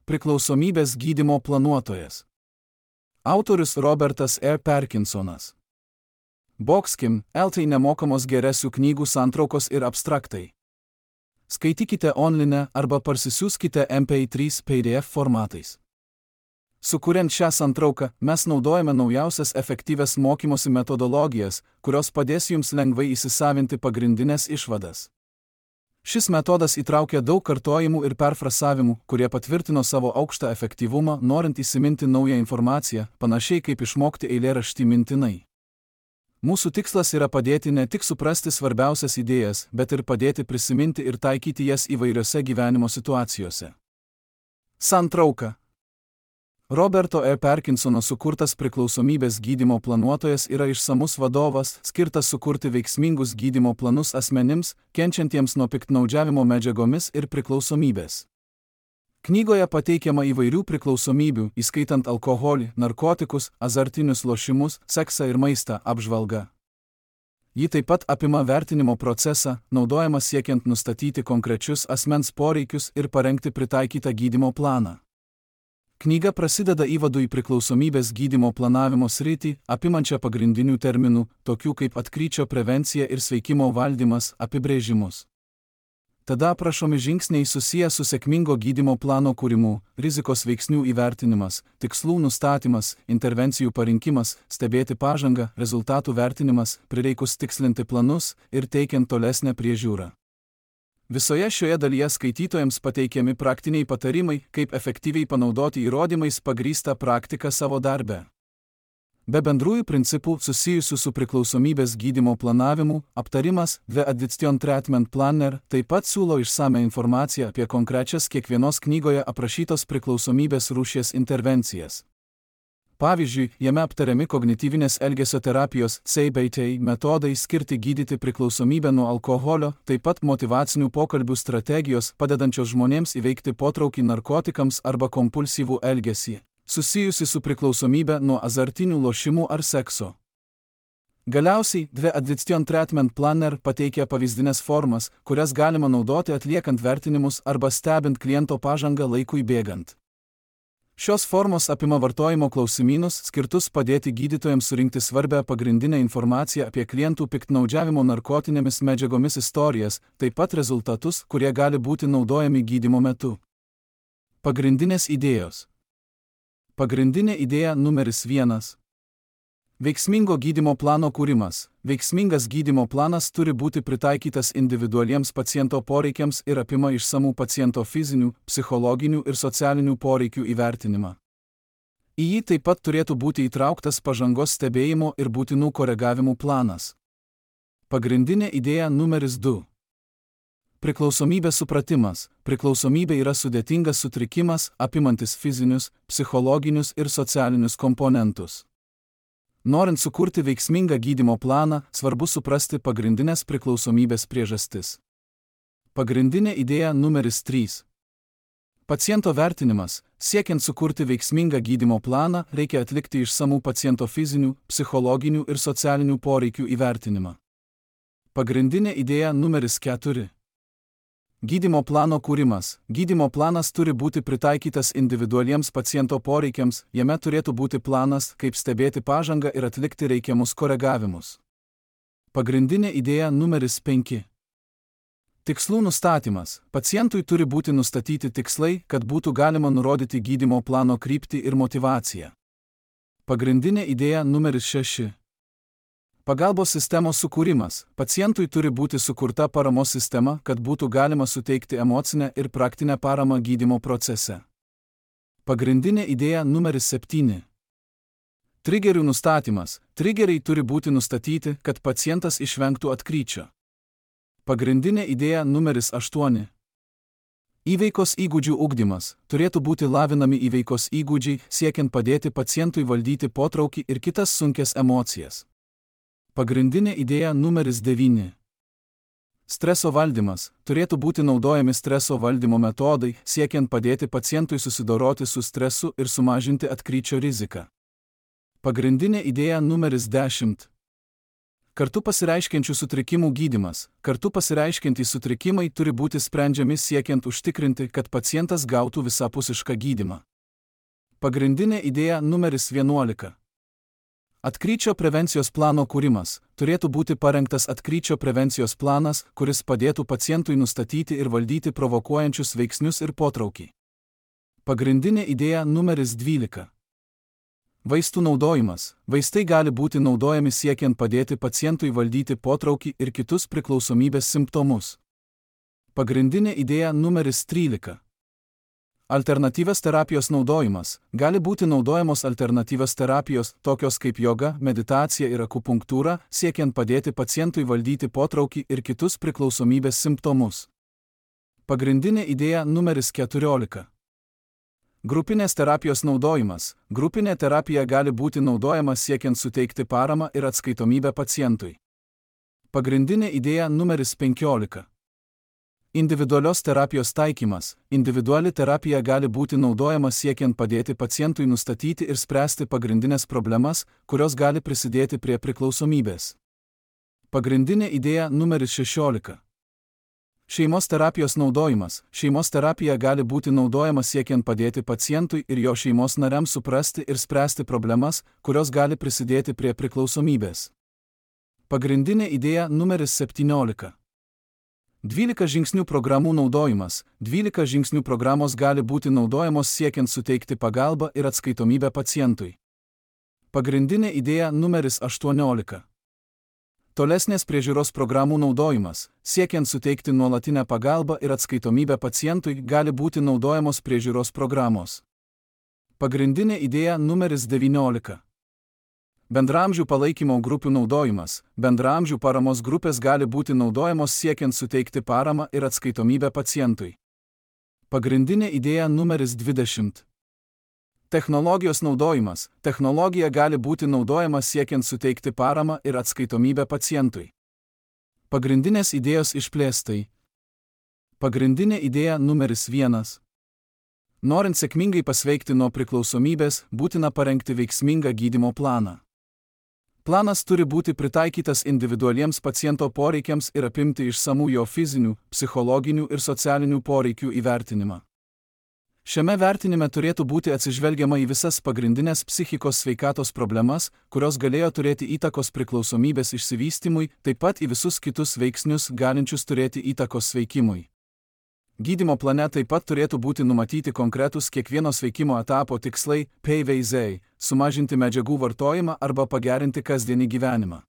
Priklausomybės gydymo planuotojas. Autorius Robertas E. Parkinsonas. Boxkim, LT nemokamos geresių knygų santraukos ir abstraktai. Skaitykite online arba parsisiųskite MP3 PDF formatais. Sukuriant šią santrauką, mes naudojame naujausias efektyvias mokymosi metodologijas, kurios padės jums lengvai įsisavinti pagrindinės išvadas. Šis metodas įtraukia daug kartojimų ir perfrasavimų, kurie patvirtino savo aukštą efektyvumą, norint įsiminti naują informaciją, panašiai kaip išmokti eilėraštį mintinai. Mūsų tikslas yra padėti ne tik suprasti svarbiausias idėjas, bet ir padėti prisiminti ir taikyti jas įvairiose gyvenimo situacijose. Santrauka. Roberto E. Parkinsono sukurtas priklausomybės gydymo planuotojas yra išsamus vadovas, skirtas sukurti veiksmingus gydymo planus asmenims, kenčiantiems nuo piktnaudžiavimo medžiagomis ir priklausomybės. Knygoje pateikiama įvairių priklausomybių, įskaitant alkoholį, narkotikus, azartinius lošimus, seksą ir maistą apžvalga. Ji taip pat apima vertinimo procesą, naudojama siekiant nustatyti konkrečius asmens poreikius ir parengti pritaikytą gydymo planą. Knyga prasideda įvadu į priklausomybės gydymo planavimo sritį, apimančią pagrindinių terminų, tokių kaip atkryčio prevencija ir sveikimo valdymas, apibrėžimus. Tada aprašomi žingsniai susiję su sėkmingo gydymo plano kūrimu, rizikos veiksnių įvertinimas, tikslų nustatymas, intervencijų parinkimas, stebėti pažangą, rezultatų vertinimas, prireikus tikslinti planus ir teikiant tolesnę priežiūrą. Visoje šioje dalyje skaitytojams pateikiami praktiniai patarimai, kaip efektyviai panaudoti įrodymais pagrįstą praktiką savo darbe. Be bendrųjų principų susijusių su priklausomybės gydymo planavimu, aptarimas The Addiction Treatment Planner taip pat siūlo išsame informaciją apie konkrečias kiekvienos knygoje aprašytos priklausomybės rūšies intervencijas. Pavyzdžiui, jame aptariami kognityvinės elgesio terapijos CBT metodai skirti gydyti priklausomybę nuo alkoholio, taip pat motyvacinių pokalbių strategijos padedančios žmonėms įveikti potraukį narkotikams arba kompulsyvų elgesį, susijusi su priklausomybė nuo azartinių lošimų ar sekso. Galiausiai, The Addiction Treatment Planner pateikia pavyzdinės formas, kurias galima naudoti atliekant vertinimus arba stebint kliento pažangą laikui bėgant. Šios formos apima vartojimo klausimynus, skirtus padėti gydytojams surinkti svarbią pagrindinę informaciją apie klientų piktnaudžiavimo narkotinėmis medžiagomis istorijas, taip pat rezultatus, kurie gali būti naudojami gydymo metu. Pagrindinės idėjos. Pagrindinė idėja numeris 1. Veiksmingo gydymo plano kūrimas. Veiksmingas gydymo planas turi būti pritaikytas individualiems paciento poreikiams ir apima išsamų paciento fizinių, psichologinių ir socialinių poreikių įvertinimą. Į jį taip pat turėtų būti įtrauktas pažangos stebėjimo ir būtinų koregavimų planas. Pagrindinė idėja numeris 2. Priklausomybės supratimas. Priklausomybė yra sudėtingas sutrikimas, apimantis fizinius, psichologinius ir socialinius komponentus. Norint sukurti veiksmingą gydymo planą, svarbu suprasti pagrindinės priklausomybės priežastis. Pagrindinė idėja numeris 3. Paciento vertinimas. Siekiant sukurti veiksmingą gydymo planą, reikia atlikti išsamų paciento fizinių, psichologinių ir socialinių poreikių įvertinimą. Pagrindinė idėja numeris 4. Gydymo plano kūrimas. Gydymo planas turi būti pritaikytas individualiems paciento poreikiams, jame turėtų būti planas, kaip stebėti pažangą ir atlikti reikiamus koregavimus. Pagrindinė idėja numeris 5. Tikslų nustatymas. Pacientui turi būti nustatyti tikslai, kad būtų galima nurodyti gydymo plano kryptį ir motyvaciją. Pagrindinė idėja numeris 6. Pagalbos sistemos sukūrimas. Pacientui turi būti sukurta paramos sistema, kad būtų galima suteikti emocinę ir praktinę paramą gydymo procese. Pagrindinė idėja numeris 7. Trigerių nustatymas. Trigeriai turi būti nustatyti, kad pacientas išvengtų atkryčio. Pagrindinė idėja numeris 8. Įveikos įgūdžių ugdymas. Turėtų būti lavinami įveikos įgūdžiai, siekiant padėti pacientui valdyti potraukį ir kitas sunkias emocijas. Pagrindinė idėja numeris 9. Streso valdymas. Turėtų būti naudojami streso valdymo metodai, siekiant padėti pacientui susidoroti su stresu ir sumažinti atkryčio riziką. Pagrindinė idėja numeris 10. Kartu pasireiškiančių sutrikimų gydymas. Kartu pasireiškiantys sutrikimai turi būti sprendžiami siekiant užtikrinti, kad pacientas gautų visapusišką gydymą. Pagrindinė idėja numeris 11. Atkryčio prevencijos plano kūrimas. Turėtų būti parengtas atkryčio prevencijos planas, kuris padėtų pacientui nustatyti ir valdyti provokuojančius veiksnius ir potraukį. Pagrindinė idėja numeris 12. Vaistų naudojimas. Vaistai gali būti naudojami siekiant padėti pacientui valdyti potraukį ir kitus priklausomybės simptomus. Pagrindinė idėja numeris 13. Alternatyvios terapijos naudojimas. Gali būti naudojamos alternatyvios terapijos, tokios kaip joga, meditacija ir akupunktūra, siekiant padėti pacientui valdyti potraukį ir kitus priklausomybės simptomus. Pagrindinė idėja numeris 14. Grupinės terapijos naudojimas. Grupinė terapija gali būti naudojama siekiant suteikti paramą ir atskaitomybę pacientui. Pagrindinė idėja numeris 15. Individualios terapijos taikymas. Individuali terapija gali būti naudojama siekiant padėti pacientui nustatyti ir spręsti pagrindinės problemas, kurios gali prisidėti prie priklausomybės. Pagrindinė idėja numeris 16. Šeimos terapijos naudojimas. Šeimos terapija gali būti naudojama siekiant padėti pacientui ir jo šeimos nariams suprasti ir spręsti problemas, kurios gali prisidėti prie priklausomybės. Pagrindinė idėja numeris 17. 12 žingsnių programų naudojimas. 12 žingsnių programos gali būti naudojamos siekiant suteikti pagalbą ir atskaitomybę pacientui. Pagrindinė idėja numeris 18. Tolesnės priežiūros programų naudojimas. Siekiant suteikti nuolatinę pagalbą ir atskaitomybę pacientui, gali būti naudojamos priežiūros programos. Pagrindinė idėja numeris 19. Bendraamžių palaikymo grupių naudojimas. Bendraamžių paramos grupės gali būti naudojamos siekiant suteikti paramą ir atskaitomybę pacientui. Pagrindinė idėja numeris 20. Technologijos naudojimas. Technologija gali būti naudojama siekiant suteikti paramą ir atskaitomybę pacientui. Pagrindinės idėjos išplėstai. Pagrindinė idėja numeris 1. Norint sėkmingai pasveikti nuo priklausomybės, būtina parengti veiksmingą gydymo planą. Planas turi būti pritaikytas individualiems paciento poreikiams ir apimti išsamų jo fizinių, psichologinių ir socialinių poreikių įvertinimą. Šiame vertinime turėtų būti atsižvelgiama į visas pagrindinės psichikos sveikatos problemas, kurios galėjo turėti įtakos priklausomybės išsivystymui, taip pat į visus kitus veiksnius galinčius turėti įtakos sveikimui. Gydymo plane taip pat turėtų būti numatyti konkretūs kiekvieno sveikimo etapo tikslai, PVZ, sumažinti medžiagų vartojimą arba pagerinti kasdienį gyvenimą.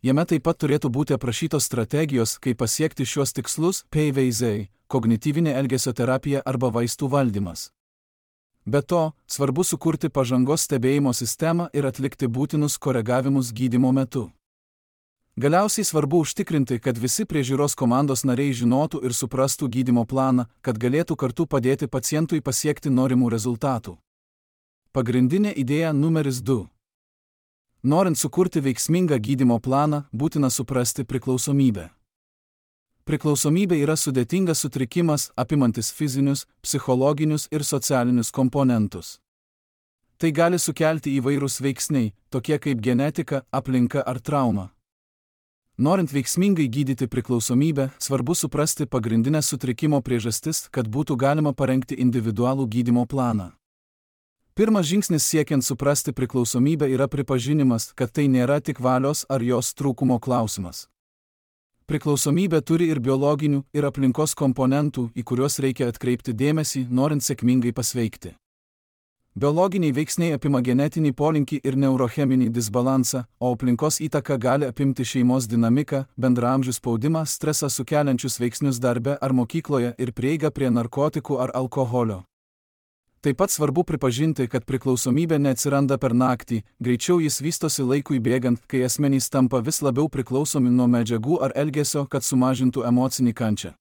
Jame taip pat turėtų būti aprašytos strategijos, kaip pasiekti šiuos tikslus, PVZ, kognityvinė elgesio terapija arba vaistų valdymas. Be to, svarbu sukurti pažangos stebėjimo sistemą ir atlikti būtinus koregavimus gydymo metu. Galiausiai svarbu užtikrinti, kad visi priežiūros komandos nariai žinotų ir suprastų gydymo planą, kad galėtų kartu padėti pacientui pasiekti norimų rezultatų. Pagrindinė idėja numeris 2. Norint sukurti veiksmingą gydymo planą, būtina suprasti priklausomybę. Priklausomybė yra sudėtingas sutrikimas, apimantis fizinius, psichologinius ir socialinius komponentus. Tai gali sukelti įvairūs veiksniai, tokie kaip genetika, aplinka ar trauma. Norint veiksmingai gydyti priklausomybę, svarbu suprasti pagrindinės sutrikimo priežastis, kad būtų galima parengti individualų gydymo planą. Pirmas žingsnis siekiant suprasti priklausomybę yra pripažinimas, kad tai nėra tik valios ar jos trūkumo klausimas. Priklausomybė turi ir biologinių, ir aplinkos komponentų, į kuriuos reikia atkreipti dėmesį, norint sėkmingai pasveikti. Biologiniai veiksniai apima genetinį polinkį ir neurocheminį disbalansą, o aplinkos įtaka gali apimti šeimos dinamiką, bendraamžių spaudimą, stresą sukeliančius veiksnius darbe ar mokykloje ir prieigą prie narkotikų ar alkoholio. Taip pat svarbu pripažinti, kad priklausomybė neatsiranda per naktį, greičiau jis vystosi laikui bėgant, kai asmenys tampa vis labiau priklausomi nuo medžiagų ar elgesio, kad sumažintų emocinį kančią.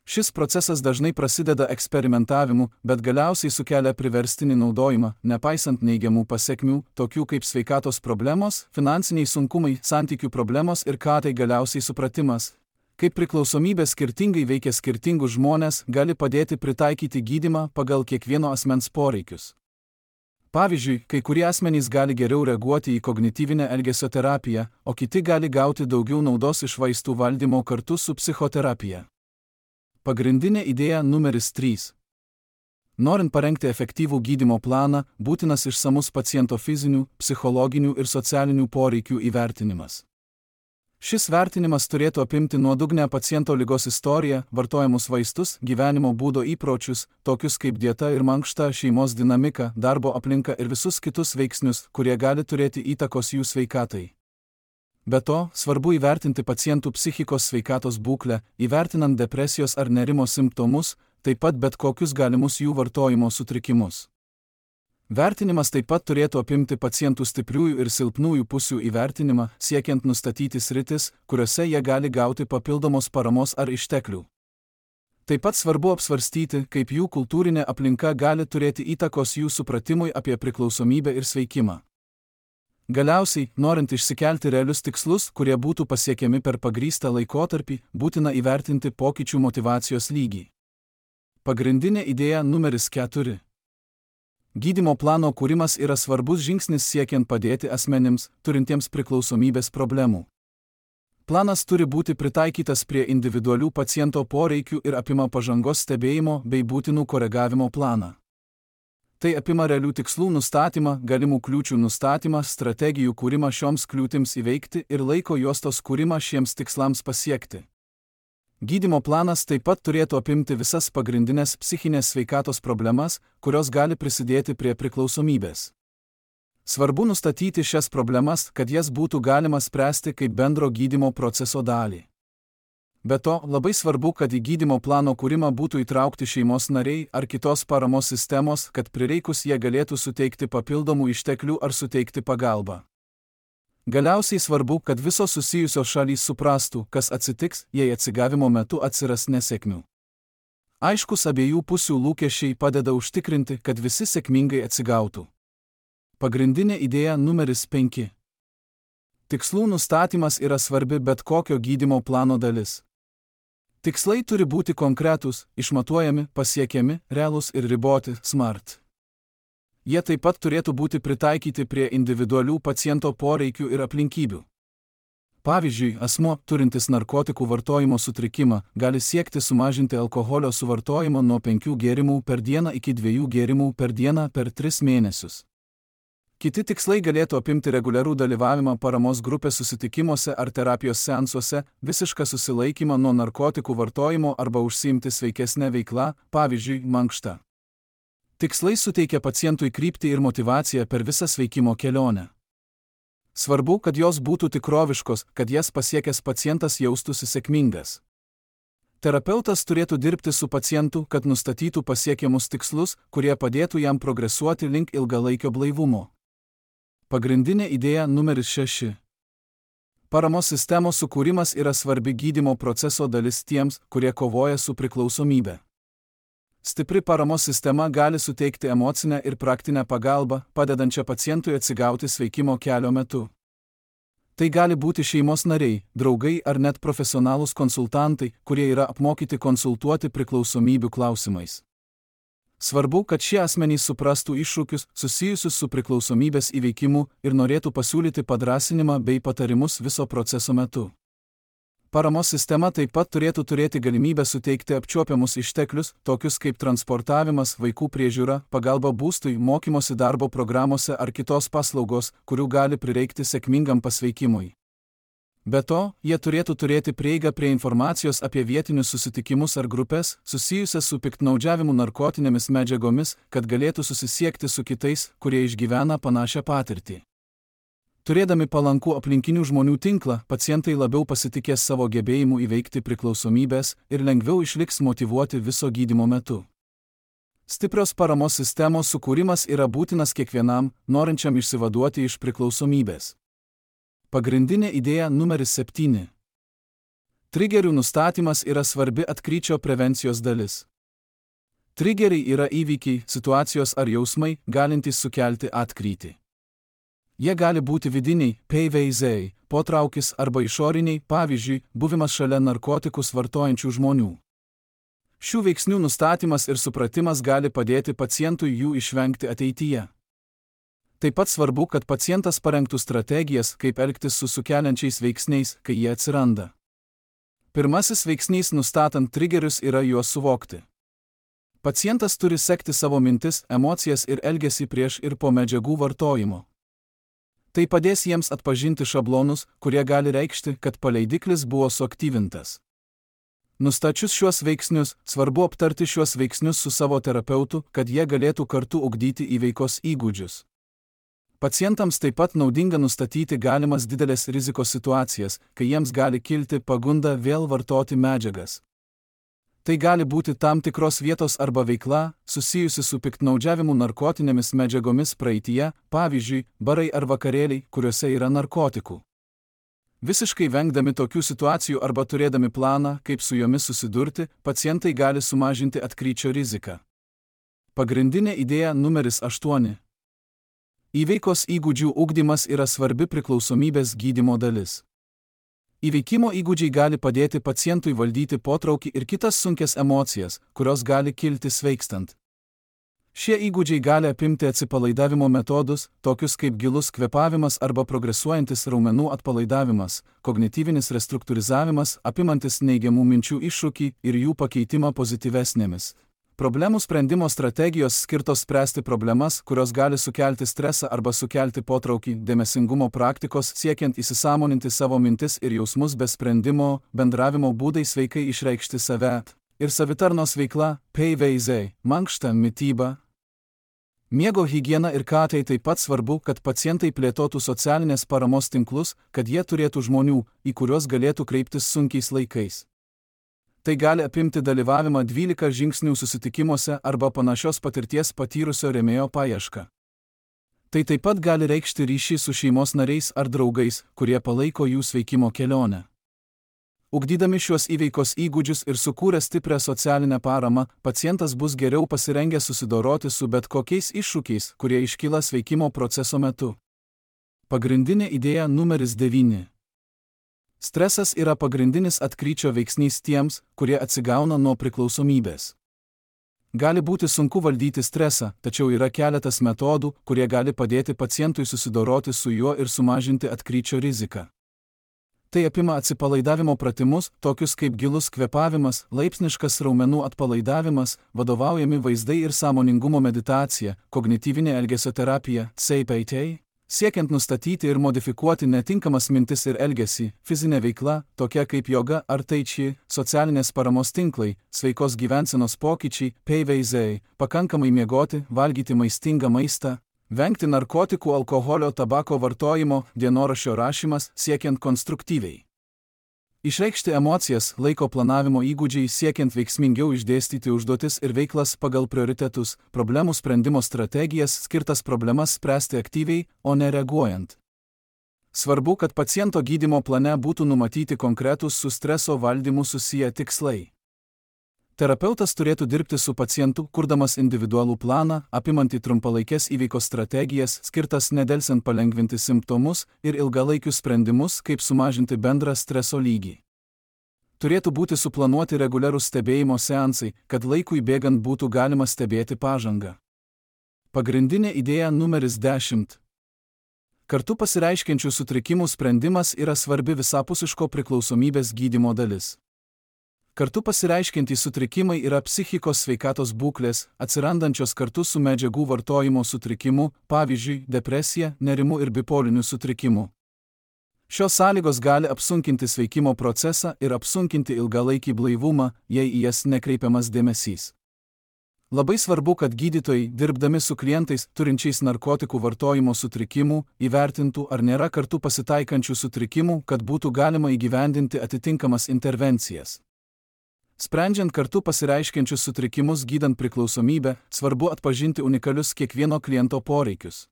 Šis procesas dažnai prasideda eksperimentavimu, bet galiausiai sukelia priverstinį naudojimą, nepaisant neigiamų pasekmių, tokių kaip sveikatos problemos, finansiniai sunkumai, santykių problemos ir tai galiausiai supratimas. Kaip priklausomybė skirtingai veikia skirtingus žmones, gali padėti pritaikyti gydymą pagal kiekvieno asmens poreikius. Pavyzdžiui, kai kurie asmenys gali geriau reaguoti į kognityvinę elgesio terapiją, o kiti gali gauti daugiau naudos iš vaistų valdymo kartu su psichoterapija. Pagrindinė idėja numeris 3. Norint parengti efektyvų gydymo planą, būtinas išsamus paciento fizinių, psichologinių ir socialinių poreikių įvertinimas. Šis vertinimas turėtų apimti nuodugnę paciento ligos istoriją, vartojamus vaistus, gyvenimo būdo įpročius, tokius kaip dieta ir mankšta, šeimos dinamika, darbo aplinka ir visus kitus veiksnius, kurie gali turėti įtakos jų sveikatai. Be to, svarbu įvertinti pacientų psichikos sveikatos būklę, įvertinant depresijos ar nerimo simptomus, taip pat bet kokius galimus jų vartojimo sutrikimus. Vertinimas taip pat turėtų apimti pacientų stipriųjų ir silpnųjų pusių įvertinimą, siekiant nustatyti sritis, kuriuose jie gali gauti papildomos paramos ar išteklių. Taip pat svarbu apsvarstyti, kaip jų kultūrinė aplinka gali turėti įtakos jų supratimui apie priklausomybę ir sveikimą. Galiausiai, norint išsikelti realius tikslus, kurie būtų pasiekiami per pagrįstą laikotarpį, būtina įvertinti pokyčių motyvacijos lygį. Pagrindinė idėja numeris 4. Gydymo plano kūrimas yra svarbus žingsnis siekiant padėti asmenims, turintiems priklausomybės problemų. Planas turi būti pritaikytas prie individualių paciento poreikių ir apima pažangos stebėjimo bei būtinų koregavimo planą. Tai apima realių tikslų nustatymą, galimų kliūčių nustatymą, strategijų kūrimą šioms kliūtims įveikti ir laiko juostos kūrimą šiems tikslams pasiekti. Gydymo planas taip pat turėtų apimti visas pagrindinės psichinės sveikatos problemas, kurios gali prisidėti prie priklausomybės. Svarbu nustatyti šias problemas, kad jas būtų galima spręsti kaip bendro gydymo proceso dalį. Be to, labai svarbu, kad į gydymo plano kūrimą būtų įtraukti šeimos nariai ar kitos paramos sistemos, kad prireikus jie galėtų suteikti papildomų išteklių ar suteikti pagalbą. Galiausiai svarbu, kad visos susijusios šalys suprastų, kas atsitiks, jei atsigavimo metu atsiras nesėkmių. Aiškus abiejų pusių lūkesčiai padeda užtikrinti, kad visi sėkmingai atsigautų. Pagrindinė idėja numeris 5. Tikslų nustatymas yra svarbi bet kokio gydymo plano dalis. Tikslai turi būti konkretūs, išmatuojami, pasiekiami, realūs ir riboti, SMART. Jie taip pat turėtų būti pritaikyti prie individualių paciento poreikių ir aplinkybių. Pavyzdžiui, asmuo, turintis narkotikų vartojimo sutrikimą, gali siekti sumažinti alkoholio suvartojimą nuo 5 gėrimų per dieną iki 2 gėrimų per dieną per 3 mėnesius. Kiti tikslai galėtų apimti reguliarų dalyvavimą paramos grupės susitikimuose ar terapijos seansuose, visišką susilaikymą nuo narkotikų vartojimo arba užsiimti sveikesnę veiklą, pavyzdžiui, mankštą. Tikslai suteikia pacientui kryptį ir motyvaciją per visą sveikimo kelionę. Svarbu, kad jos būtų tikroviškos, kad jas pasiekęs pacientas jaustųsi sėkmingas. Terapeutas turėtų dirbti su pacientu, kad nustatytų pasiekiamus tikslus, kurie padėtų jam progresuoti link ilgalaikio blaivumo. Pagrindinė idėja numeris 6. Paramos sistemos sukūrimas yra svarbi gydymo proceso dalis tiems, kurie kovoja su priklausomybe. Stipri paramos sistema gali suteikti emocinę ir praktinę pagalbą, padedančią pacientui atsigauti sveikimo kelio metu. Tai gali būti šeimos nariai, draugai ar net profesionalūs konsultantai, kurie yra apmokyti konsultuoti priklausomybių klausimais. Svarbu, kad šie asmenys suprastų iššūkius susijusius su priklausomybės įveikimu ir norėtų pasiūlyti padrąsinimą bei patarimus viso proceso metu. Paramos sistema taip pat turėtų turėti galimybę suteikti apčiuopiamus išteklius, tokius kaip transportavimas, vaikų priežiūra, pagalba būstui, mokymosi darbo programuose ar kitos paslaugos, kurių gali prireikti sėkmingam pasveikimui. Be to, jie turėtų turėti prieigą prie informacijos apie vietinius susitikimus ar grupės, susijusias su piktnaudžiavimu narkotinėmis medžiagomis, kad galėtų susisiekti su kitais, kurie išgyvena panašią patirtį. Turėdami palankų aplinkinių žmonių tinklą, pacientai labiau pasitikės savo gebėjimu įveikti priklausomybės ir lengviau išliks motyvuoti viso gydymo metu. Stiprios paramos sistemos sukūrimas yra būtinas kiekvienam, norinčiam išsivaduoti iš priklausomybės. Pagrindinė idėja numeris 7. Trigerių nustatymas yra svarbi atkryčio prevencijos dalis. Trigeriai yra įvykiai, situacijos ar jausmai, galintys sukelti atkrytį. Jie gali būti vidiniai, PVZ, potraukis arba išoriniai, pavyzdžiui, buvimas šalia narkotikus vartojančių žmonių. Šių veiksnių nustatymas ir supratimas gali padėti pacientui jų išvengti ateityje. Taip pat svarbu, kad pacientas parengtų strategijas, kaip elgtis su sukeliančiais veiksniais, kai jie atsiranda. Pirmasis veiksnys nustatant trigerius yra juos suvokti. Pacientas turi sekti savo mintis, emocijas ir elgesį prieš ir po medžiagų vartojimo. Tai padės jiems atpažinti šablonus, kurie gali reikšti, kad paleidiklis buvo suaktyvintas. Nustačius šiuos veiksnius, svarbu aptarti šiuos veiksnius su savo terapeutu, kad jie galėtų kartu ugdyti įveikos įgūdžius. Pacientams taip pat naudinga nustatyti galimas didelės rizikos situacijas, kai jiems gali kilti pagunda vėl vartoti medžiagas. Tai gali būti tam tikros vietos arba veikla, susijusi su piktnaudžiavimu narkotinėmis medžiagomis praeityje, pavyzdžiui, barai ar vakarėliai, kuriuose yra narkotikų. Visiškai vengdami tokių situacijų arba turėdami planą, kaip su jomis susidurti, pacientai gali sumažinti atkryčio riziką. Pagrindinė idėja numeris 8. Įveikos įgūdžių ugdymas yra svarbi priklausomybės gydymo dalis. Įveikimo įgūdžiai gali padėti pacientui valdyti potraukį ir kitas sunkias emocijas, kurios gali kilti sveikstant. Šie įgūdžiai gali apimti atsipalaidavimo metodus, tokius kaip gilus kvėpavimas arba progresuojantis raumenų atpalaidavimas, kognityvinis restruktūrizavimas, apimantis neigiamų minčių iššūkį ir jų pakeitimą pozityvesnėmis. Problemų sprendimo strategijos skirtos spręsti problemas, kurios gali sukelti stresą arba sukelti potraukį, dėmesingumo praktikos siekiant įsisąmoninti savo mintis ir jausmus be sprendimo, bendravimo būdai sveikai išreikšti save ir savitarnos veikla, PVZ, mankšta, mityba. Miego higiena ir tai taip pat svarbu, kad pacientai plėtotų socialinės paramos tinklus, kad jie turėtų žmonių, į kuriuos galėtų kreiptis sunkiais laikais. Tai gali apimti dalyvavimą 12 žingsnių susitikimuose arba panašios patirties patyrusio rėmėjo paiešką. Tai taip pat gali reikšti ryšį su šeimos nariais ar draugais, kurie palaiko jų sveikimo kelionę. Ugdydami šiuos įveikos įgūdžius ir sukūrę stiprią socialinę paramą, pacientas bus geriau pasirengęs susidoroti su bet kokiais iššūkiais, kurie iškyla sveikimo proceso metu. Pagrindinė idėja numeris 9. Stresas yra pagrindinis atkryčio veiksnys tiems, kurie atsigauna nuo priklausomybės. Gali būti sunku valdyti stresą, tačiau yra keletas metodų, kurie gali padėti pacientui susidoroti su juo ir sumažinti atkryčio riziką. Tai apima atsipalaidavimo pratimus, tokius kaip gilus kvėpavimas, laipsniškas raumenų atpalaidavimas, vadovaujami vaizdai ir sąmoningumo meditacija, kognityvinė elgesio terapija, CBT, siekiant nustatyti ir modifikuoti netinkamas mintis ir elgesį, fizinė veikla, tokia kaip joga ar tai chi, socialinės paramos tinklai, sveikos gyvensenos pokyčiai, PVZ, pakankamai miegoti, valgyti maistingą maistą, vengti narkotikų, alkoholio, tabako vartojimo, dienoraščio rašymas, siekiant konstruktyviai išreikšti emocijas, laiko planavimo įgūdžiai siekiant veiksmingiau išdėstyti užduotis ir veiklas pagal prioritetus, problemų sprendimo strategijas skirtas problemas spręsti aktyviai, o ne reaguojant. Svarbu, kad paciento gydymo plane būtų numatyti konkretūs su streso valdymu susiję tikslai. Terapeutas turėtų dirbti su pacientu, kurdamas individualų planą, apimantį trumpalaikės įveikos strategijas, skirtas nedelsiant palengvinti simptomus ir ilgalaikius sprendimus, kaip sumažinti bendrą streso lygį. Turėtų būti suplanuoti reguliarūs stebėjimo seansai, kad laikui bėgant būtų galima stebėti pažangą. Pagrindinė idėja numeris 10. Kartu pasireiškiančių sutrikimų sprendimas yra svarbi visapusiško priklausomybės gydymo dalis. Kartu pasireiškiantys sutrikimai yra psichikos sveikatos būklės, atsirandančios kartu su medžiagų vartojimo sutrikimu, pavyzdžiui, depresija, nerimu ir bipoliniu sutrikimu. Šios sąlygos gali apsunkinti sveikimo procesą ir apsunkinti ilgalaikį blaivumą, jei į jas nekreipiamas dėmesys. Labai svarbu, kad gydytojai, dirbdami su klientais turinčiais narkotikų vartojimo sutrikimų, įvertintų, ar nėra kartu pasitaikančių sutrikimų, kad būtų galima įgyvendinti atitinkamas intervencijas. Sprendžiant kartu pasireiškiančius sutrikimus gydant priklausomybę, svarbu atpažinti unikalius kiekvieno kliento poreikius.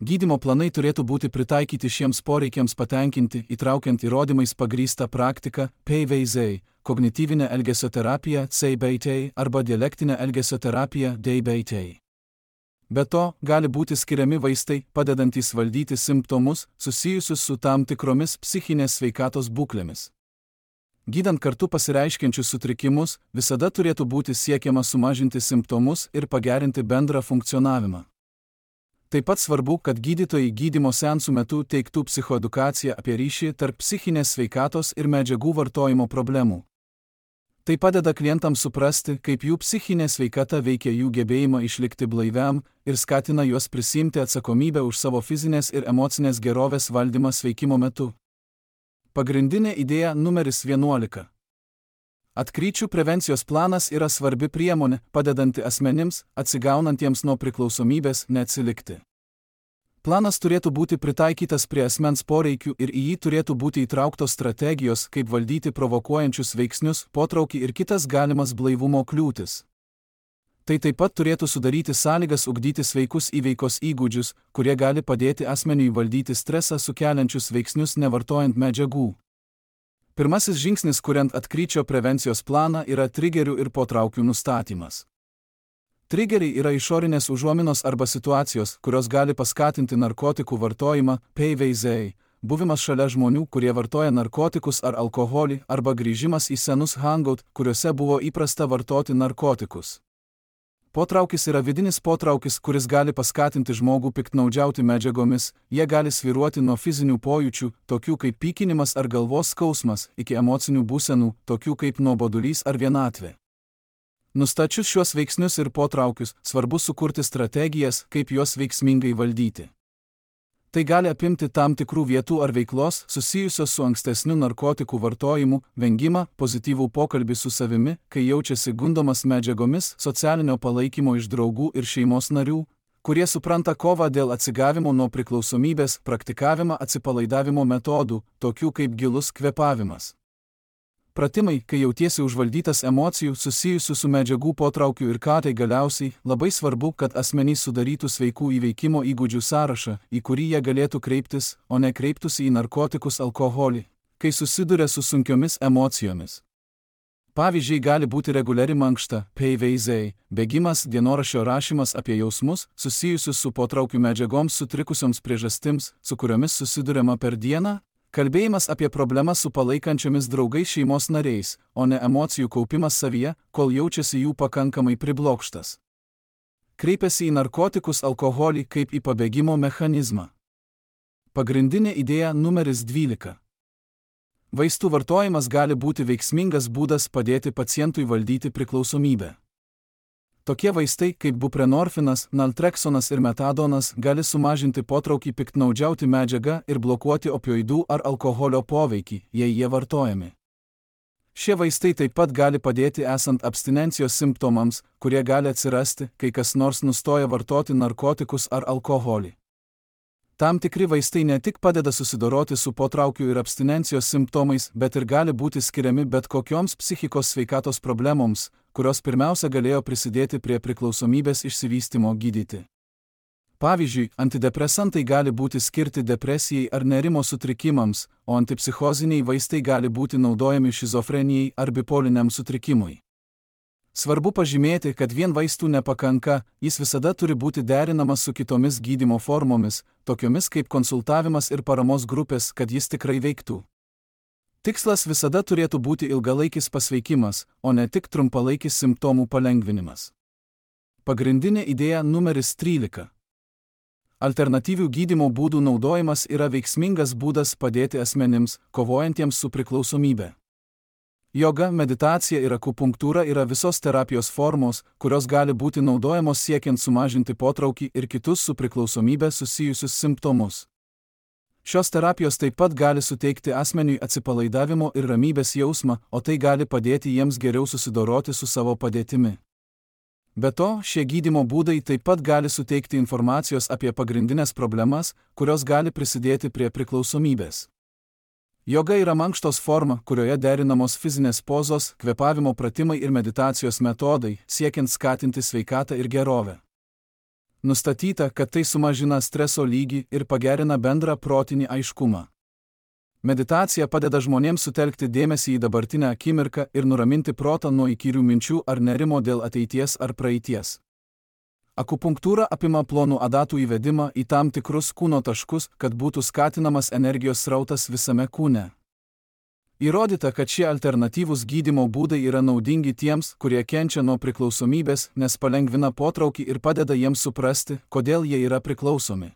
Gydymo planai turėtų būti pritaikyti šiems poreikiams patenkinti, įtraukiant įrodymais pagrįstą praktiką, PVZ, kognityvinę elgesio terapiją, CBT arba dialektinę elgesio terapiją, DBT. Be to, gali būti skiriami vaistai, padedantys valdyti simptomus, susijusius su tam tikromis psichinės sveikatos būklėmis. Gydant kartu pasireiškiančius sutrikimus, visada turėtų būti siekiama sumažinti simptomus ir pagerinti bendrą funkcionavimą. Taip pat svarbu, kad gydytojai gydymo seansų metu teiktų psichoedukaciją apie ryšį tarp psichinės sveikatos ir medžiagų vartojimo problemų. Tai padeda klientams suprasti, kaip jų psichinė sveikata veikia jų gebėjimą išlikti blaiviam ir skatina juos prisiimti atsakomybę už savo fizinės ir emocinės gerovės valdymą sveikimo metu. Pagrindinė idėja numeris 11. Atkryčių prevencijos planas yra svarbi priemonė, padedanti asmenims, atsigaunantiems nuo priklausomybės, neatsilikti. Planas turėtų būti pritaikytas prie asmens poreikių ir į jį turėtų būti įtrauktos strategijos, kaip valdyti provokuojančius veiksnius, potraukį ir kitas galimas blaivumo kliūtis. Tai taip pat turėtų sudaryti sąlygas ugdyti sveikus įveikos įgūdžius, kurie gali padėti asmeniui valdyti stresą sukeliančius veiksnius nevartojant medžiagų. Pirmasis žingsnis, kuriant atkryčio prevencijos planą, yra trigerių ir potraukių nustatymas. Trigeriai yra išorinės užuominos arba situacijos, kurios gali paskatinti narkotikų vartojimą, PVZ, buvimas šalia žmonių, kurie vartoja narkotikus ar alkoholį, arba grįžimas į senus hangout, kuriuose buvo įprasta vartoti narkotikus. Potraukis yra vidinis potraukis, kuris gali paskatinti žmogų piktnaudžiauti medžiagomis, jie gali svyruoti nuo fizinių pojūčių, tokių kaip pykinimas ar galvos skausmas, iki emocinių būsenų, tokių kaip nuobodulys ar vienatvė. Nustačius šiuos veiksnius ir potraukius, svarbu sukurti strategijas, kaip juos veiksmingai valdyti. Tai gali apimti tam tikrų vietų ar veiklos susijusios su ankstesniu narkotikų vartojimu, vengimą, pozityvų pokalbį su savimi, kai jaučiasi gundomas medžiagomis, socialinio palaikymo iš draugų ir šeimos narių, kurie supranta kovą dėl atsigavimo nuo priklausomybės, praktikavimą atsipalaidavimo metodų, tokių kaip gilus kvėpavimas. Pratimai, kai jautiesi užvaldytas emocijų susijusių su medžiagų potraukiu ir ką tai galiausiai, labai svarbu, kad asmenys sudarytų sveikų įveikimo įgūdžių sąrašą, į kurį jie galėtų kreiptis, o ne kreiptųsi į narkotikus, alkoholį, kai susiduria su sunkiomis emocijomis. Pavyzdžiai gali būti reguliari mankšta, PVZ, bėgimas, dienoraščio rašymas apie jausmus, susijusius su potraukių medžiagoms sutrikusioms priežastims, su kuriomis susiduriama per dieną, kalbėjimas apie problemas su palaikančiomis draugais šeimos nariais, o ne emocijų kaupimas savyje, kol jaučiasi jų pakankamai priblokštas. Kreipiasi į narkotikus, alkoholį kaip į pabėgimo mechanizmą. Pagrindinė idėja numeris 12. Vaistų vartojimas gali būti veiksmingas būdas padėti pacientui valdyti priklausomybę. Tokie vaistai kaip buprenorfinas, naltreksonas ir metadonas gali sumažinti potraukį piktnaudžiauti medžiagą ir blokuoti opioidų ar alkoholio poveikį, jei jie vartojami. Šie vaistai taip pat gali padėti esant abstinencijos simptomams, kurie gali atsirasti, kai kas nors nustoja vartoti narkotikus ar alkoholį. Tam tikri vaistai ne tik padeda susidoroti su potraukių ir abstinencijos simptomais, bet ir gali būti skiriami bet kokioms psichikos sveikatos problemoms, kurios pirmiausia galėjo prisidėti prie priklausomybės išsivystymo gydyti. Pavyzdžiui, antidepresantai gali būti skirti depresijai ar nerimo sutrikimams, o antipsichoziniai vaistai gali būti naudojami šizofrenijai ar bipoliniam sutrikimui. Svarbu pažymėti, kad vien vaistų nepakanka, jis visada turi būti derinamas su kitomis gydymo formomis, tokiomis kaip konsultavimas ir paramos grupės, kad jis tikrai veiktų. Tikslas visada turėtų būti ilgalaikis pasveikimas, o ne tik trumpalaikis simptomų palengvinimas. Pagrindinė idėja numeris 13. Alternatyvių gydymo būdų naudojimas yra veiksmingas būdas padėti asmenims, kovojantiems su priklausomybe. Joga, meditacija ir akupunktūra yra visos terapijos formos, kurios gali būti naudojamos siekiant sumažinti potraukį ir kitus su priklausomybe susijusius simptomus. Šios terapijos taip pat gali suteikti asmeniui atsipalaidavimo ir ramybės jausmą, o tai gali padėti jiems geriau susidoroti su savo padėtimi. Be to, šie gydymo būdai taip pat gali suteikti informacijos apie pagrindinės problemas, kurios gali prisidėti prie priklausomybės. Joga yra mankštos forma, kurioje derinamos fizinės pozos, kvėpavimo pratimai ir meditacijos metodai, siekiant skatinti sveikatą ir gerovę. Nustatyta, kad tai sumažina streso lygį ir pagerina bendrą protinį aiškumą. Meditacija padeda žmonėms sutelkti dėmesį į dabartinę akimirką ir nuraminti protą nuo įkyrių minčių ar nerimo dėl ateities ar praeities. Akupunktūra apima plonų adatų įvedimą į tam tikrus kūno taškus, kad būtų skatinamas energijos srautas visame kūne. Įrodyta, kad šie alternatyvūs gydymo būdai yra naudingi tiems, kurie kenčia nuo priklausomybės, nes palengvina potraukį ir padeda jiems suprasti, kodėl jie yra priklausomi.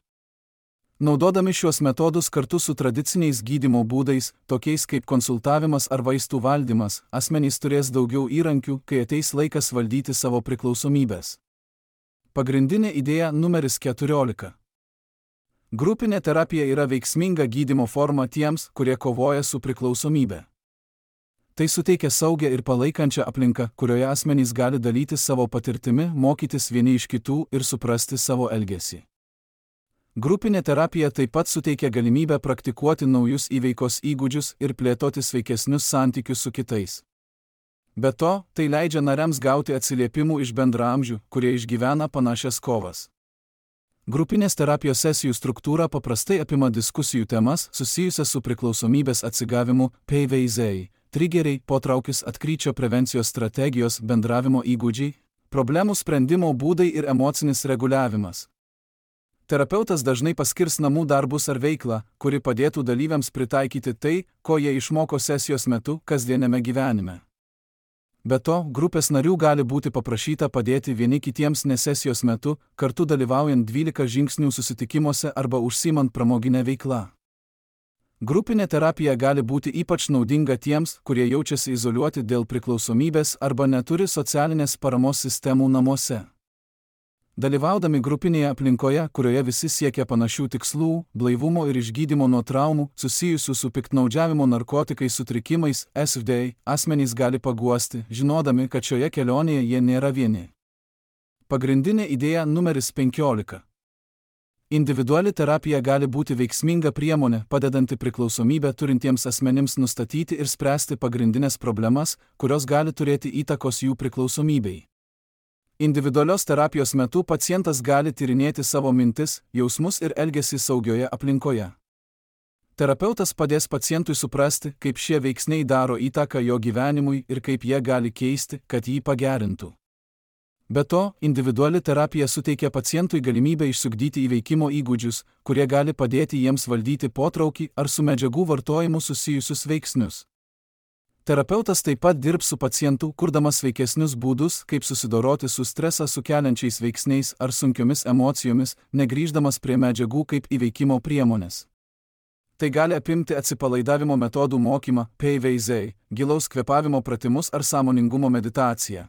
Naudodami šiuos metodus kartu su tradiciniais gydymo būdais, tokiais kaip konsultavimas ar vaistų valdymas, asmenys turės daugiau įrankių, kai ateis laikas valdyti savo priklausomybės. Pagrindinė idėja numeris 14. Grupinė terapija yra veiksminga gydymo forma tiems, kurie kovoja su priklausomybe. Tai suteikia saugią ir palaikančią aplinką, kurioje asmenys gali dalytis savo patirtimi, mokytis vieni iš kitų ir suprasti savo elgesį. Grupinė terapija taip pat suteikia galimybę praktikuoti naujus įveikos įgūdžius ir plėtoti sveikesnius santykius su kitais. Be to, tai leidžia nariams gauti atsiliepimų iš bendraamžių, kurie išgyvena panašias kovas. Grupinės terapijos sesijų struktūra paprastai apima diskusijų temas susijusias su priklausomybės atsigavimu, PVZ, trigeriai, potraukis, atkryčio prevencijos strategijos, bendravimo įgūdžiai, problemų sprendimo būdai ir emocinis reguliavimas. Terapeutas dažnai paskirs namų darbus ar veiklą, kuri padėtų dalyviams pritaikyti tai, ko jie išmoko sesijos metu kasdieniame gyvenime. Be to, grupės narių gali būti paprašyta padėti vieni kitiems ne sesijos metu, kartu dalyvaujant 12 žingsnių susitikimuose arba užsiimant pramoginę veiklą. Grupinė terapija gali būti ypač naudinga tiems, kurie jaučiasi izoliuoti dėl priklausomybės arba neturi socialinės paramos sistemų namuose. Dalyvaudami grupinėje aplinkoje, kurioje visi siekia panašių tikslų, blaivumo ir išgydymo nuo traumų, susijusių su piktnaudžiavimo narkotikais sutrikimais, SFD, asmenys gali paguosti, žinodami, kad šioje kelionėje jie nėra vieni. Pagrindinė idėja numeris 15. Individuali terapija gali būti veiksminga priemonė, padedanti priklausomybę turintiems asmenims nustatyti ir spręsti pagrindinės problemas, kurios gali turėti įtakos jų priklausomybei. Individualios terapijos metu pacientas gali tyrinėti savo mintis, jausmus ir elgesį saugioje aplinkoje. Terapeutas padės pacientui suprasti, kaip šie veiksniai daro įtaką jo gyvenimui ir kaip jie gali keisti, kad jį pagerintų. Be to, individuali terapija suteikia pacientui galimybę išsiugdyti įveikimo įgūdžius, kurie gali padėti jiems valdyti potraukį ar su medžiagų vartojimu susijusius veiksnius. Terapeutas taip pat dirbs su pacientu, kurdamas sveikesnius būdus, kaip susidoroti su stresą sukeliančiais veiksniais ar sunkiomis emocijomis, negrįždamas prie medžiagų kaip įveikimo priemonės. Tai gali apimti atsipalaidavimo metodų mokymą, PVZ, gilaus kvėpavimo pratimus ar sąmoningumo meditaciją.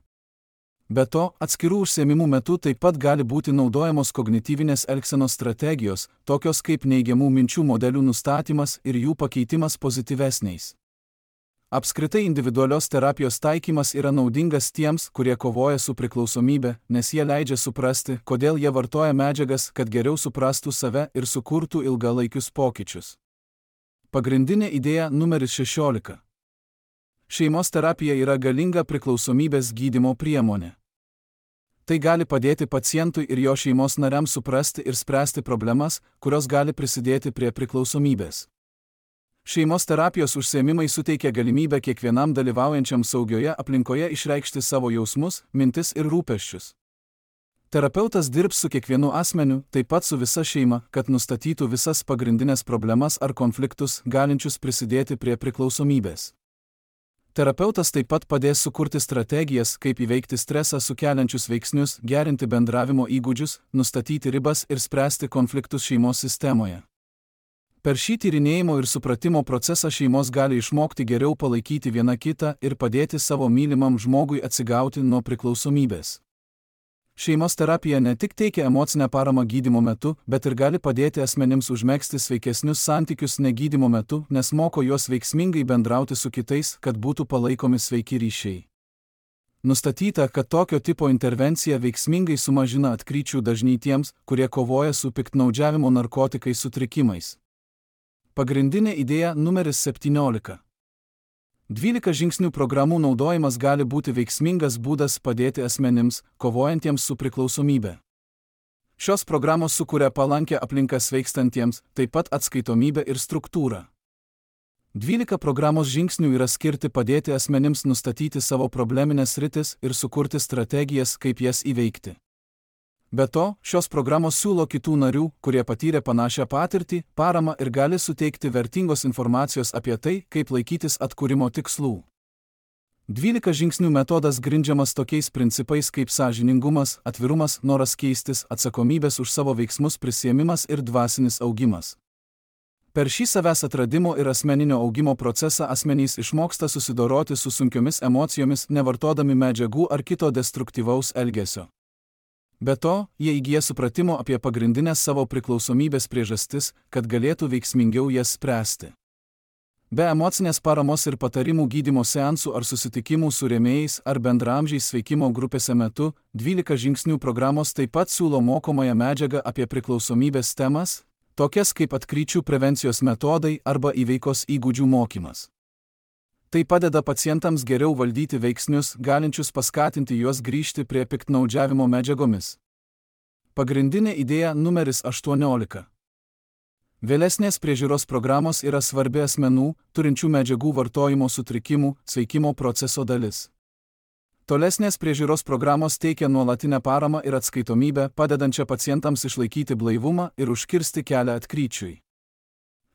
Be to, atskirų užsiėmimų metu taip pat gali būti naudojamos kognityvinės elgsenos strategijos, tokios kaip neigiamų minčių modelių nustatymas ir jų pakeitimas pozityvesniais. Apskritai individualios terapijos taikymas yra naudingas tiems, kurie kovoja su priklausomybe, nes jie leidžia suprasti, kodėl jie vartoja medžiagas, kad geriau suprastų save ir sukurtų ilgalaikius pokyčius. Pagrindinė idėja numeris 16. Šeimos terapija yra galinga priklausomybės gydymo priemonė. Tai gali padėti pacientui ir jo šeimos nariams suprasti ir spręsti problemas, kurios gali prisidėti prie priklausomybės. Šeimos terapijos užsiėmimai suteikia galimybę kiekvienam dalyvaujančiam saugioje aplinkoje išreikšti savo jausmus, mintis ir rūpesčius. Terapeutas dirbs su kiekvienu asmeniu, taip pat su visa šeima, kad nustatytų visas pagrindinės problemas ar konfliktus, galinčius prisidėti prie priklausomybės. Terapeutas taip pat padės sukurti strategijas, kaip įveikti stresą sukeliančius veiksnius, gerinti bendravimo įgūdžius, nustatyti ribas ir spręsti konfliktus šeimos sistemoje. Per šį tyrinėjimo ir supratimo procesą šeimos gali išmokti geriau palaikyti vieną kitą ir padėti savo mylimam žmogui atsigauti nuo priklausomybės. Šeimos terapija ne tik teikia emocinę paramą gydymo metu, bet ir gali padėti asmenims užmegzti sveikesnius santykius negydymo metu, nes moko juos veiksmingai bendrauti su kitais, kad būtų palaikomi sveiki ryšiai. Nustatyta, kad tokio tipo intervencija veiksmingai sumažina atkryčių dažnį tiems, kurie kovoja su piktnaudžiavimo narkotikais sutrikimais. Pagrindinė idėja numeris 17. 12 žingsnių programų naudojimas gali būti veiksmingas būdas padėti asmenims, kovojantiems su priklausomybe. Šios programos sukuria palankę aplinką sveikstantiems, taip pat atskaitomybę ir struktūrą. 12 programos žingsnių yra skirti padėti asmenims nustatyti savo probleminės sritis ir sukurti strategijas, kaip jas įveikti. Be to, šios programos siūlo kitų narių, kurie patyrė panašią patirtį, paramą ir gali suteikti vertingos informacijos apie tai, kaip laikytis atkūrimo tikslų. 12 žingsnių metodas grindžiamas tokiais principais kaip sąžiningumas, atvirumas, noras keistis, atsakomybės už savo veiksmus prisiėmimas ir dvasinis augimas. Per šį savęs atradimo ir asmeninio augimo procesą asmenys išmoksta susidoroti su sunkiomis emocijomis, nevartodami medžiagų ar kito destruktyvaus elgesio. Be to, jie įgyja supratimo apie pagrindinės savo priklausomybės priežastis, kad galėtų veiksmingiau jas spręsti. Be emocinės paramos ir patarimų gydymo seansų ar susitikimų su rėmėjais ar bendraamžiais sveikimo grupėse metu, 12 žingsnių programos taip pat siūlo mokomąją medžiagą apie priklausomybės temas, tokias kaip atkryčių prevencijos metodai arba įveikos įgūdžių mokymas. Tai padeda pacientams geriau valdyti veiksnius, galinčius paskatinti juos grįžti prie piktnaudžiavimo medžiagomis. Pagrindinė idėja numeris 18. Vėlesnės priežiūros programos yra svarbi asmenų, turinčių medžiagų vartojimo sutrikimų, sveikimo proceso dalis. Tolesnės priežiūros programos teikia nuolatinę paramą ir atskaitomybę, padedančią pacientams išlaikyti blaivumą ir užkirsti kelią atkryčiui.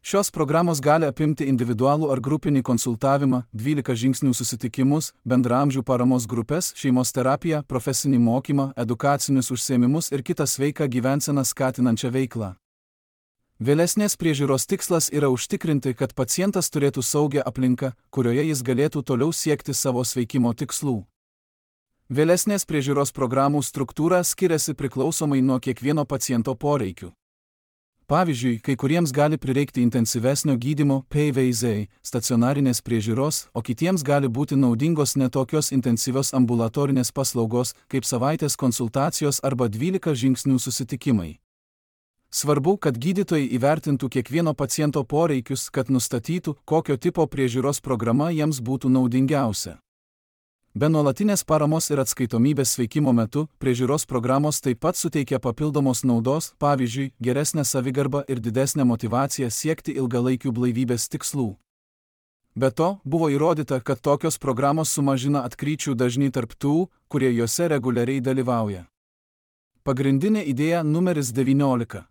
Šios programos gali apimti individualų ar grupinį konsultavimą, 12 žingsnių susitikimus, bendraamžių paramos grupės, šeimos terapiją, profesinį mokymą, edukacinius užsiėmimus ir kitą sveiką gyvenseną skatinančią veiklą. Vėlesnės priežiūros tikslas yra užtikrinti, kad pacientas turėtų saugią aplinką, kurioje jis galėtų toliau siekti savo sveikimo tikslų. Vėlesnės priežiūros programų struktūra skiriasi priklausomai nuo kiekvieno paciento poreikių. Pavyzdžiui, kai kuriems gali prireikti intensyvesnio gydymo PVZ, stacionarinės priežiūros, o kitiems gali būti naudingos netokios intensyvios ambulatorinės paslaugos, kaip savaitės konsultacijos arba 12 žingsnių susitikimai. Svarbu, kad gydytojai įvertintų kiekvieno paciento poreikius, kad nustatytų, kokio tipo priežiūros programa jiems būtų naudingiausia. Be nuolatinės paramos ir atskaitomybės sveikimo metu, priežiūros programos taip pat suteikia papildomos naudos, pavyzdžiui, geresnę savigarbą ir didesnę motyvaciją siekti ilgalaikių blaivybės tikslų. Be to, buvo įrodyta, kad tokios programos sumažina atkryčių dažnį tarp tų, kurie juose reguliariai dalyvauja. Pagrindinė idėja numeris 19.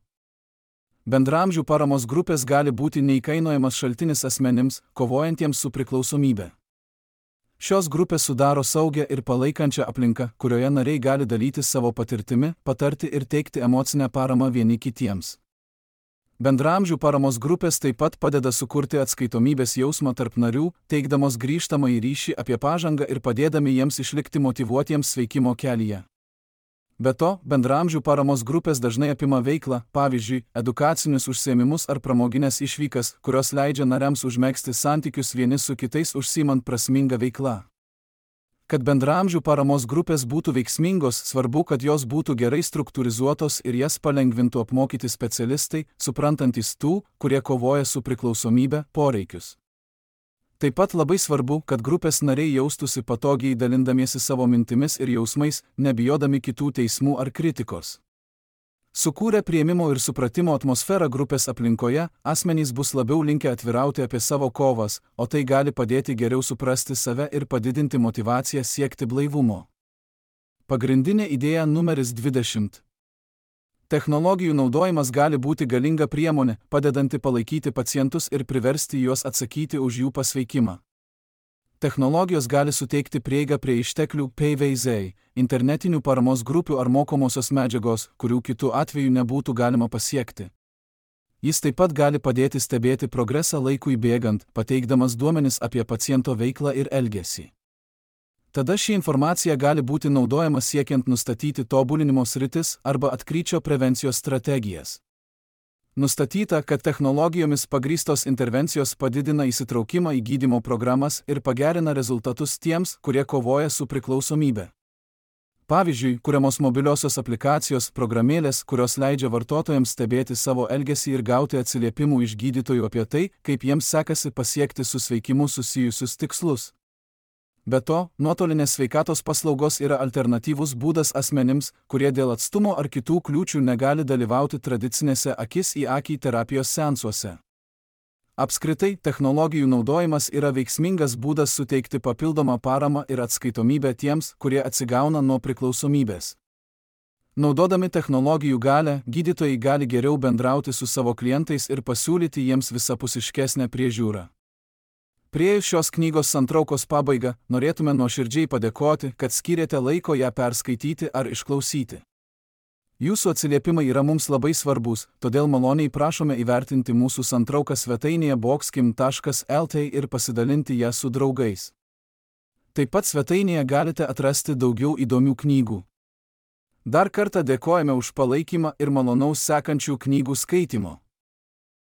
Bendraamžių paramos grupės gali būti neįkainojamas šaltinis asmenims, kovojantiems su priklausomybe. Šios grupės sudaro saugią ir palaikančią aplinką, kurioje nariai gali dalytis savo patirtimi, patarti ir teikti emocinę paramą vieni kitiems. Bendraamžių paramos grupės taip pat padeda sukurti atskaitomybės jausmą tarp narių, teikdamos grįžtamąjį ryšį apie pažangą ir padėdami jiems išlikti motyvuotiems sveikimo kelyje. Be to, bendraamžių paramos grupės dažnai apima veiklą, pavyzdžiui, edukacinius užsiėmimus ar pramoginės išvykas, kurios leidžia nariams užmegzti santykius vieni su kitais užsiimant prasmingą veiklą. Kad bendraamžių paramos grupės būtų veiksmingos, svarbu, kad jos būtų gerai struktūrizuotos ir jas palengvintų apmokyti specialistai, suprantantis tų, kurie kovoja su priklausomybe, poreikius. Taip pat labai svarbu, kad grupės nariai jaustųsi patogiai dalindamiesi savo mintimis ir jausmais, nebijodami kitų teismų ar kritikos. Sukūrę priėmimo ir supratimo atmosferą grupės aplinkoje, asmenys bus labiau linkę atvirauti apie savo kovas, o tai gali padėti geriau suprasti save ir padidinti motyvaciją siekti blaivumo. Pagrindinė idėja numeris 20. Technologijų naudojimas gali būti galinga priemonė, padedanti palaikyti pacientus ir priversti juos atsakyti už jų pasveikimą. Technologijos gali suteikti prieigą prie išteklių PVZ, internetinių paramos grupių ar mokomosios medžiagos, kurių kitų atveju nebūtų galima pasiekti. Jis taip pat gali padėti stebėti progresą laikui bėgant, pateikdamas duomenis apie paciento veiklą ir elgesį. Tada ši informacija gali būti naudojama siekiant nustatyti tobulinimo sritis arba atkryčio prevencijos strategijas. Nustatyta, kad technologijomis pagrįstos intervencijos padidina įsitraukimą į gydymo programas ir pagerina rezultatus tiems, kurie kovoja su priklausomybe. Pavyzdžiui, kuriamos mobiliosios aplikacijos, programėlės, kurios leidžia vartotojams stebėti savo elgesį ir gauti atsiliepimų iš gydytojų apie tai, kaip jiems sekasi pasiekti su sveikimu susijusius tikslus. Be to, nuotolinės sveikatos paslaugos yra alternatyvus būdas asmenims, kurie dėl atstumo ar kitų kliūčių negali dalyvauti tradicinėse akis į akį terapijos seansuose. Apskritai, technologijų naudojimas yra veiksmingas būdas suteikti papildomą paramą ir atskaitomybę tiems, kurie atsigauna nuo priklausomybės. Naudodami technologijų galią, gydytojai gali geriau bendrauti su savo klientais ir pasiūlyti jiems visapusiškesnę priežiūrą. Priėjus šios knygos santraukos pabaigą, norėtume nuoširdžiai padėkoti, kad skyrėte laiko ją perskaityti ar išklausyti. Jūsų atsiliepimai yra mums labai svarbus, todėl maloniai prašome įvertinti mūsų santrauką svetainėje boxkim.lt ir pasidalinti ją su draugais. Taip pat svetainėje galite atrasti daugiau įdomių knygų. Dar kartą dėkojame už palaikymą ir malonaus sekančių knygų skaitymo.